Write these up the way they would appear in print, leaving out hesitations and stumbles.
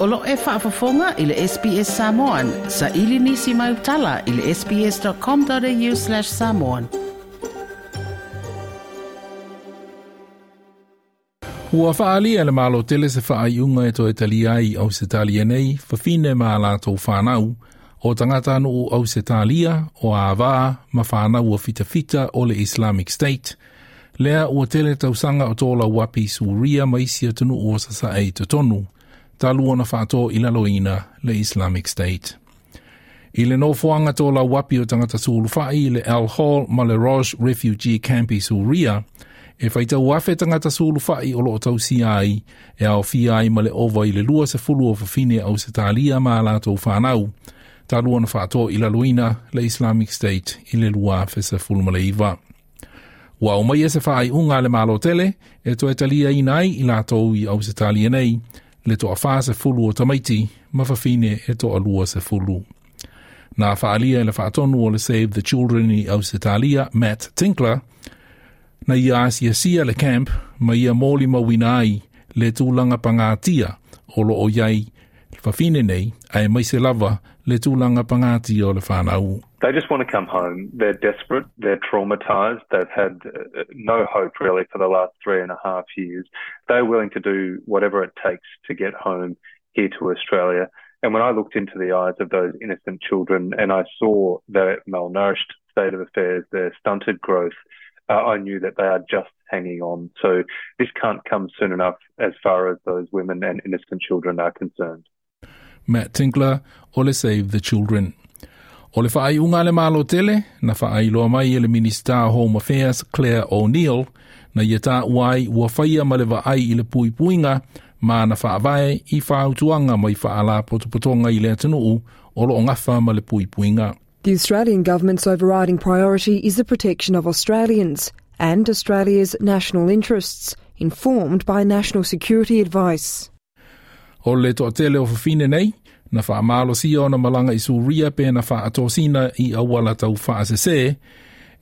O lo o e faafofoga i le SBS Samoan. Saili nisi mau tala i le sbs.com.au/samoan. Ua faaalia e le Malo tele se faaiuga e toe talia ai i Ausetalia nei, fafine ma a latou fanau, o tagatanuu Ausetalia, o avā ma fanau a fitafita o le Islamic State, lea ua tele tausaga o tolauapi i Suria ma isi atunuu o sasae i totonu, talu ona faato i laloina le Islamic State. I le nofoaga tolauapi o tagata sulufai i le Al Hol ma le Roj Refugee Camp i Suria, e faitau afe tagata sulufai o loo tausia ai, e aofia ai ma le ova i le 20 o fafine Ausetalia ma a latou fanau, talu ona faato i laloina le Islamic State i le 2019. Ua aumaia se faaiuga a le Malo tele e toe taliaina ai i latou i Ausetalia nei, le toa 40 o tamaiti ma fafine e toa 20. Na faalia e le faatonu o le Save the Children i Ausetalia, Matt Tinkler, na ia asiasia le camp ma ia molimauina ai le tulaga pagatia o loo i ai fafine nei, aemaise lava le tulaga pagatia o le fanau. They just want to come home. They're desperate. They're traumatized. They've had no hope really for the last 3.5 years. They're willing to do whatever it takes to get home here to Australia. And when I looked into the eyes of those innocent children and I saw their malnourished state of affairs, their stunted growth, I knew that they are just hanging on. So this can't come soon enough as far as those women and innocent children are concerned. Matt Tinkler o le Save the Children. O le faaiuga a le Malo tele, na faailoa mai e le Minisita o Home Affairs Clare O'Neil, na ia taua ai ua faia ma le vaai i le puipuiga ma na faavae i fautuaga mai faalapotopotoga i le atunuu o loo gafa ma le puipuiga. The Australian Government's overriding priority is the protection of Australians and Australia's national interests, informed by national security advice. O le toatele o fafine nei, na faamalosia ona malaga i Suria pe na faatosina i auala tau faasese,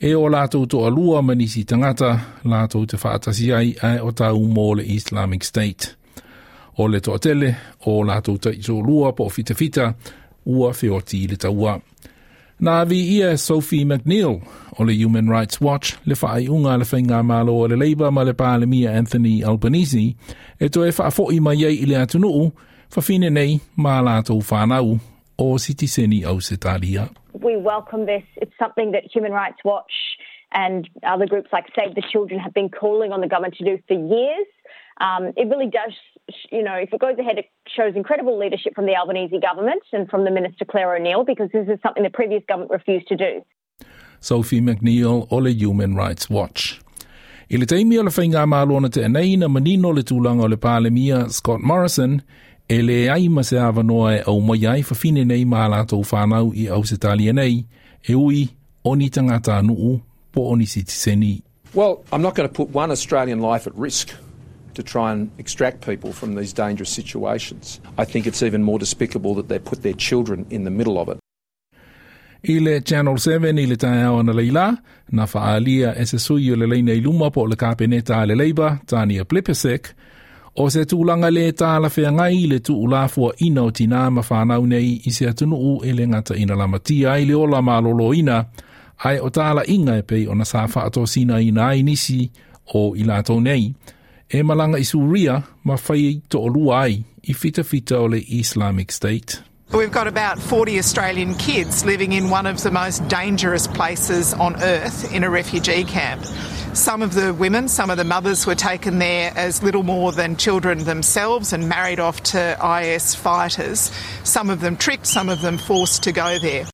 e o latou toalua ma nisi tagata latou te faatasi ai ae o tau mo le Islamic State. O le toatele o latou taitoalua po o fitafita ua feoti i le taua. Na viia e Sophie McNeill o le Human Rights Watch le faaiuga a le Faigamalo a le Labour ma le Palemia Anthony Albanese e toe faafoi mai ai i le atunuu fafine nei ma a latou fanau o sitiseni Ausetalia. We welcome this. It's something that Human Rights Watch and other groups like Save the Children have been calling on the government to do for years. It really does, if it goes ahead, it shows incredible leadership from the Albanese government and from the Minister Clare O'Neil, because this is something the previous government refused to do. Sophie McNeill o le Human Rights Watch. I le taimi o le faigamalo na tea nei na manino le tulaga o le Palemia Scott Morrison e leai ma se avanoa e aumaia ai fafine nei ma a latou fanau i Ausetalia nei, e ui o ni tagatanuu po o ni sitiseni. Well, I'm not going to put one Australian life at risk to try and extract people from these dangerous situations. I think it's even more despicable that they put their children in the middle of it. I le Channel 7 i le taeao analeila, na faaalia e se sui o le laina i luma po o le Kapeneta a le Labour, Tania Plibersek, o se tulaga le talafeagai le tuulafoaina o tinā ma fanau nei i se atunuu e le gata ina lamatia ai le ola malōlōina, ae o talaiga e pei ona sa faatosinaina ai nisi o i latou nei, e malaga i Suria ma fai toalua ai i fitafita o le Islamic State. We've got about 40 Australian kids living in one of the most dangerous places on earth in a refugee camp. Some of the women, some of the mothers were taken there as little more than children themselves and married off to IS fighters. Some of them tricked, some of them forced to go there.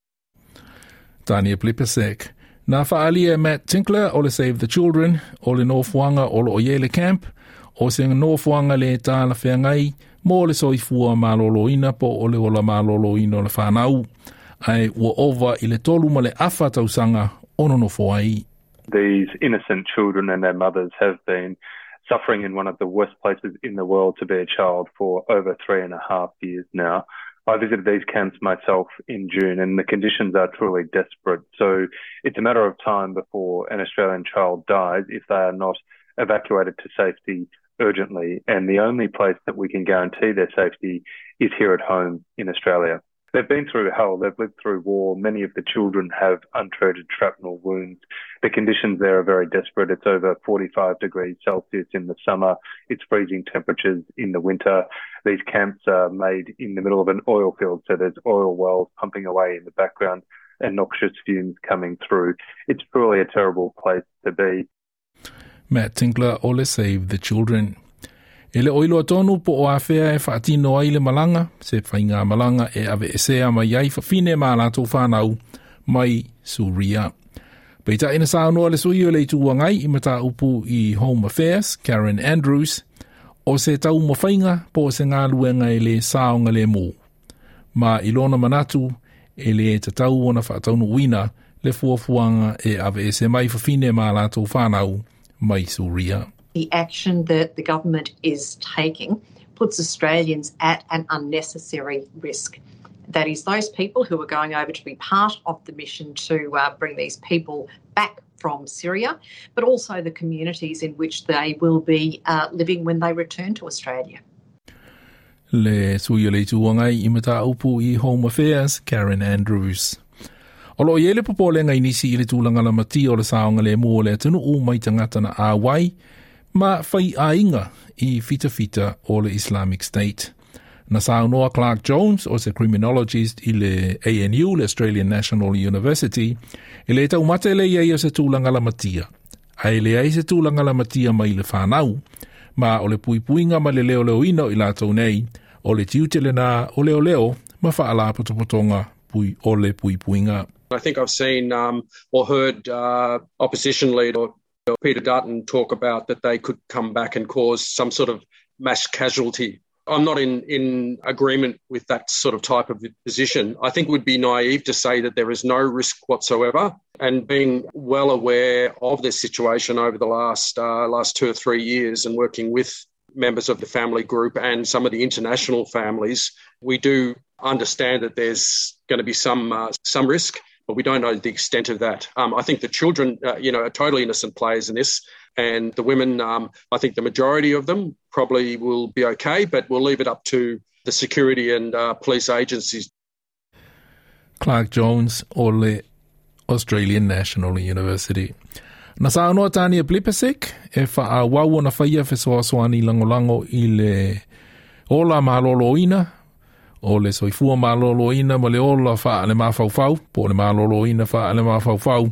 Tania Plibersek. Na faaalia e Matt Tinkler o le Save the Children o le nofoaga o loo i ai le camp, o se nofoaga le talafeagai mo le soifua malōlōina po o le ola malōlōina o le fanau, ae ua ova i le 3.5 tausaga o nonofo ai. These innocent children and their mothers have been suffering in one of the worst places in the world to be a child for over 3.5 years now. I visited these camps myself in June and the conditions are truly desperate. So it's a matter of time before an Australian child dies if they are not evacuated to safety urgently, and the only place that we can guarantee their safety is here at home in Australia. They've been through hell, they've lived through war. Many of the children have untreated shrapnel wounds. The conditions there are very desperate. It's over 45 degrees Celsius in the summer. It's freezing temperatures in the winter. These camps are made in the middle of an oil field, so there's oil wells pumping away in the background and noxious fumes coming through. It's truly a terrible place to be. Matt Tinkler o le Save the Children. E le o iloa tonu po o afea e faatino ai le malaga, se faigamalaga e aveesea mai ai fafine ma latou fanau mai Suria. Peitai na saunoa le sui o le Itu Agai i mataupu i Home Affairs, Karen Andrews, o se taumafaiga po o se galuega e le saogalemu. Ma i lona manatu, e le tatau ona faataunuuina le fuafuaga e aveese mai fafine ma latou fanau mai Suria. The action that the government is taking puts Australians at an unnecessary risk. That is, those people who are going over to be part of the mission to bring these people back from Syria, but also the communities in which they will be living when they return to Australia. Le sui o le Itu Agai i mataupu i Home Affairs, Karen Andrews. O lo o i ai le popolega i nisi i le tulaga lamatia o le saogalemu o le atunuu mai tagata na auai ma faiaiga i fitafita o le Islamic State. Na saunoa Clark Jones, o se criminologist i le ANU, le Australian National University, e le taumate le i ai o se tulaga lamatia. Ae e leai se tulaga lamatia mai le fanau, ma o le puipuiga ma le leoleoina o i latou nei, o le tiute lena o leoleo ma faalapotopotoga pui o le puipuiga. I think I've seen or heard opposition leader Peter Dutton talk about that they could come back and cause some sort of mass casualty. I'm not in, in agreement with that sort of type of position. I think it would be naive to say that there is no risk whatsoever. And being well aware of this situation over the last last 2 or 3 years and working with members of the family group and some of the international families, we do understand that there's going to be some some risk, but we don't know the extent of that. I think the children, are totally innocent players in this, and the women, I think the majority of them probably will be okay, but we'll leave it up to the security and police agencies. Clark Jones o le Australian National University. Na saunoa Tania Plibersek e faaauau ona faia fesoasoani lagolago i le ola malōlōina, o le soifua malōlōina ma le ola faalemafaufau, po o le malōlōina faalemafaufau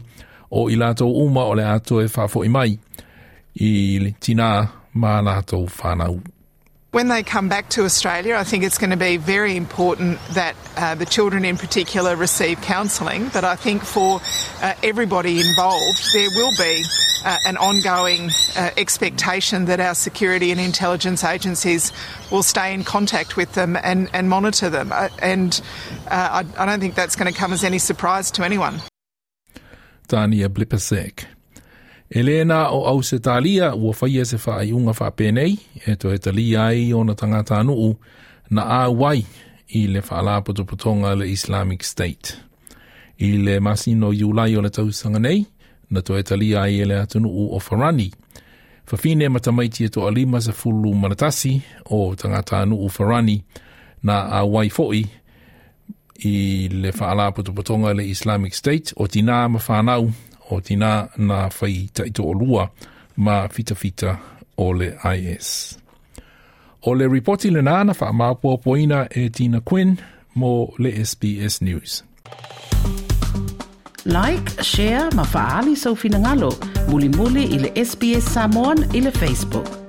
o i latou uma o le a toe faafoi mai i le tinā ma latou fanau. When they come back to Australia, I think it's going to be very important that the children in particular receive counselling. But I think for everybody involved, there will be an ongoing expectation that our security and intelligence agencies will stay in contact with them and, and monitor them. And I, I don't think that's going to come as any surprise to anyone. Tania Plibersek. E le na o Ausetalia ua faia se faaiuga faapenei e toe talia ai ona tagatanuu na auai i le faalapotopotoga a le Islamic State. I le masina o Iulai o le tausaga nei, na toe talia ai e le atunuu o Farani fafine ma tamaiti e toa-51 o tagatanuu Farani na auai foi i le faalapotopotoga a le Islamic State, o tinā ma fanau, o tinā na fai taitoalua ma fitafita o le IS. O le ripoti lenā na faamaopopoina e Tina Quinn mo le SBS News. Like, share ma faaali sou finagalo. Mulimuli i le SBS Samoan i le Facebook.